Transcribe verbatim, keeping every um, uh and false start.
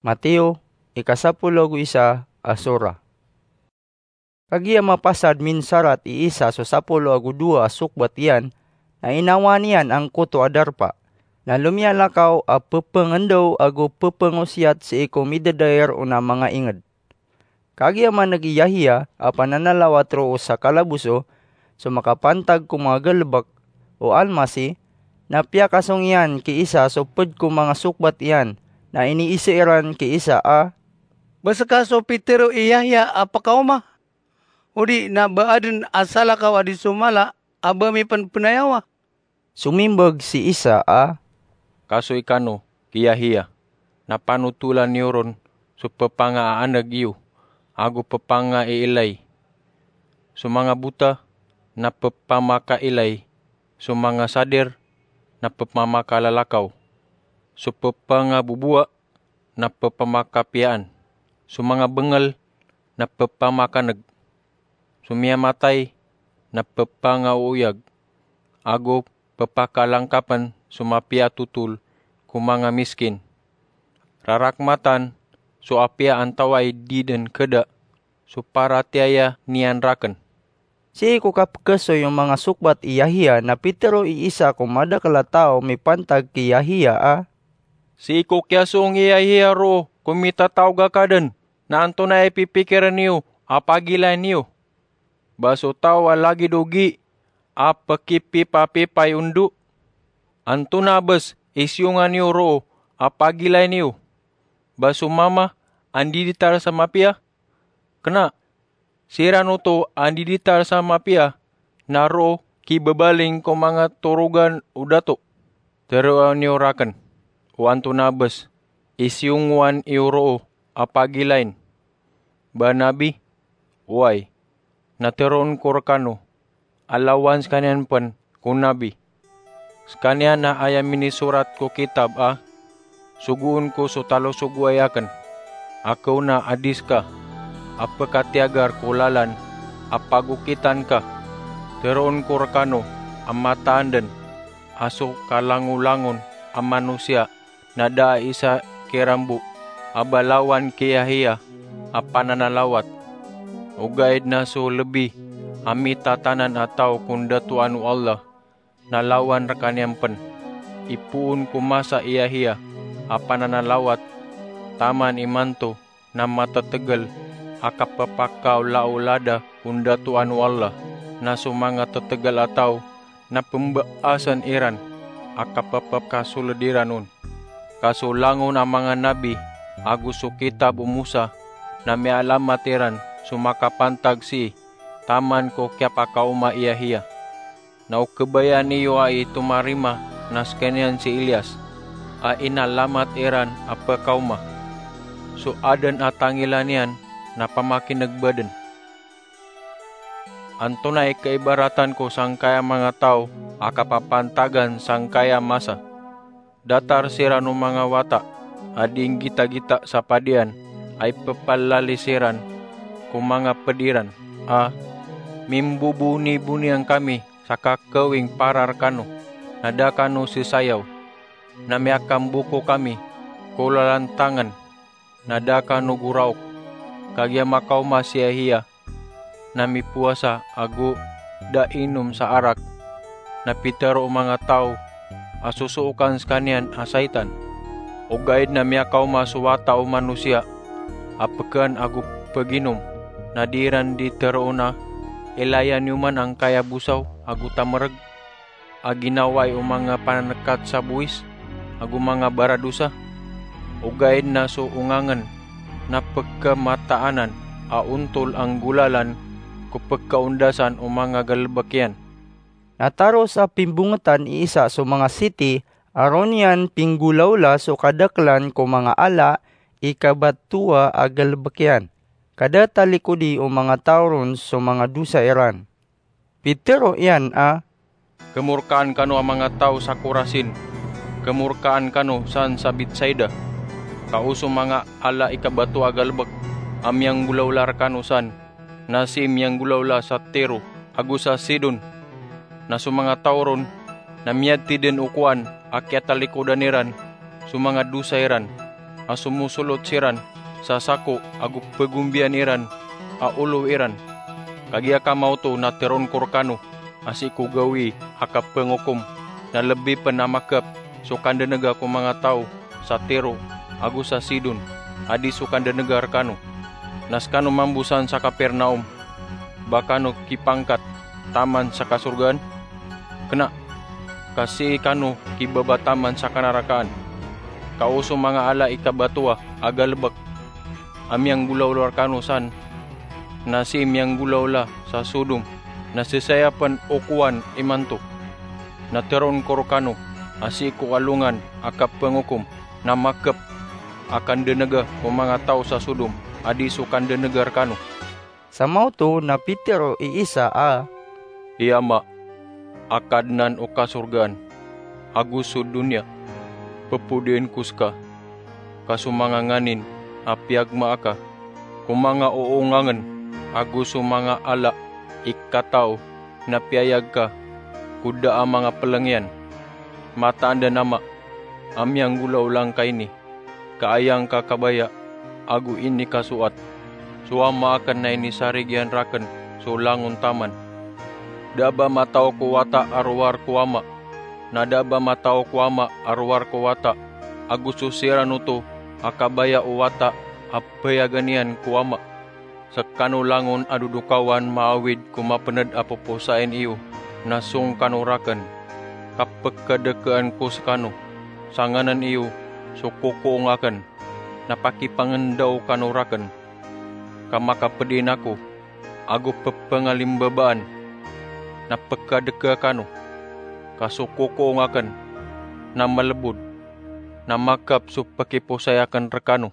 Mateo, ika sapolo ago isa a sura. Kagiya mapasad minsarat i Isa so sapolo ago dowa a sokbat iyan, na inawaan iyan angkoto a darpa, na lomiyalakaw a pepengendaw ago pepengosiyat sii ko midadair on a manga inged. Kagiya maneg i Yahiya a pananalawat roo sa kalaboso, so makapantag ko manga galebek, o Almasih, na piyakasong iyan ki Isa so ped ko manga sokbat iyan, na iniise iran ki Isa a, "Ba seka so pitero i Yahiya a pekaoma? Odi na ba aden a salakaw a di somala a ba mipenpenayawa?" Somimbag si Isa a, "Kasoy kano ki Yahiya, na panotolan iyo ron so pepangaaneg iyo ago pepangaiilay. So manga bota na pepamakailay, so manga sadir na pepamakalalakaw, so pepangabobowa na pepamakapiyaan, so manga bengel na pepamakaneg, so miyamatay na pepangaoyag, ago pepakalangkapen so mapiya a totol ko manga miskin. Rarakmatan so apiya antawaa i di den keda so paratiyaya niyan raken." Sii ko kapekesoy o manga sokbat i Yahiya na pitero i Isa ko madakel a taw mipantag ki Yahiya a, "Sii ko kiyasong i Yahiya roo ko mitataog a kaden, na antonaa i pipikiren iyo a pagilayn iyo? Ba so taw a lagid o gi a pekipipapipay ondo? Antonaa bes i siyongan iyo roo a pagilayn iyo? Ba so mama a ndiditar sa mapiya? Kena, siran oto a ndiditar sa mapiya na roo kibabaling ko manga torogan o dato. Teroa niyo raken o antonaa bes i siyongowan iyo roo a pagilayn. Ba nabi? Oway, na teroon ko rekano a lawan sekaniyan pen ko nabi. Sekaniyan na aya minisorat ko kitab a, 'Sogoon ko so talosogoway aken a kaona a di seka a pekatiyagar ko lalan a pagokitan ka.' Teroon ko rekano a mataan den a so kalangolangon a manosiya na da a isa kiran bo a ba lawan ki Yahiya a pananalawat. Ogaid na so lebi a mitatanan a taw ko ndatoan o Allah na lawan rekaniyan pen. Ipoon ko masa i Yahiya a pananalawat taman imanto na matetegel a kapepakaolaola da ko ndatoan o Allah, na so manga tetegel a taw na pembaasen iran a kapepekasoled iran on. Ka so langon a manga nabi ago so kitab o Mosa na miyaalamat iran so makapantag sii taman ko kiyapakaoma i Yahiya. Na o kebayaan iyo a i tomarima na sekaniyan si Elias a inalamat iran a pekaoma. So aden a tangila niyan na pamakinegba den. Antonaa i kaibaratan ko sangkaya manga taw a kapapantagan sangkaya masa? Datar siran o manga wata a di nggitagita sa padian a ipepalali siran ko manga ped iran a, 'Mimbobonibonian kami sa kakawing para rekano, na da kano sesayaw. Na miyakamboko kami ko lalantangen, na da kano goraok.' Kagiya makaoma si Yahiya na mipowasa ago da inom sa arak, na pitero o manga taw a sosookan sekaniyan a saitan. Ogaid na miyakaoma so Wata o Manosiya a pekaan ago peginom, na di iran di teroon a, 'Ilaya niyo man angkaya bosaw ago tamereg a ginawai o manga pananekat sa bowis ago manga baradosa.' Ogaid na so ongangen na pekhamataanan a ontol a nggolalan ko pekhaondasan o manga galebek iyan." Na taros a pimbongetan i Isa so manga siti a roo niyan pinggolaola so kadakelan ko manga ala i kabatowa a galebek iyan, ka da talikodi o manga taw ron so manga dosa iran. Pitero iyan a, "Kemorkaan kano a manga taw sa Korasin, kemorkaan kano san sa Betsaida. Ka o so manga ala i kabatowa a galebek a miyanggolaola rekano san na sii miyanggolaola sa Tiro ago sa Sidon. Na so manga taw ron na miyatiden o kowan a kiyatalikodan iran so manga dosa iran. a somosolot siran sa sako ago pagombiyan iran a olo iran. Kagiya kamaoto na teron ko rekano a sii ko gawii a kapangokom na lebi pen a makep so kandenega ko manga taw sa Tiro ago sa Sidon a di so kandenega rekano. Na sekano mambo san sa Kapernaum, ba kano kipangkat taman sa kasorgaan? Kena, ka sii kano kibaba taman sa kanarakaan. Ka o so manga ala i kabatoa a galebek a miyanggolawla rekano san na sii miyanggolawla sa Sodom, na sesaya pen o kowan imanto. Na teron ko rekano a sii ko alongan a kapangokom na makep a kandenega ko manga taw sa Sodom a di so kandenega rekano. Sa maoto na pitero i isa a, "I Ama a Kadnan o kasorgaan ago so doniya, pepodiyen ko seka, ka so manga nganin a piyagmaa ka ko manga oongangen ago so manga ala i kataw na piyayag ka ko da a manga peleng iyan. Mataan den Ama a miyanggolawla ngka ini, ka aya ngka kabaya ago inikasoat. So Ama aken na inisarigiyan raken so langon taman. Da a ba matao ko Wata a rowar ko Ama, na da a ba matao ko Ama a rowar ko Wata, ago so siran oto a kabaya o Wata a bayagan iyan ko Ama. Sekano langon a dodokawan maawid ko mapened a poposain iyo, na song kano raken. Ka pekadekaan ko sekano, sa nganan iyo so kokoong aken, na pakipangendaw kano raken. Ka makapedin ako, ago pepengalimbabaan, na pekadeka kano. Ka so kokoong aken na malebod, na makep so pekiposai aken rekano."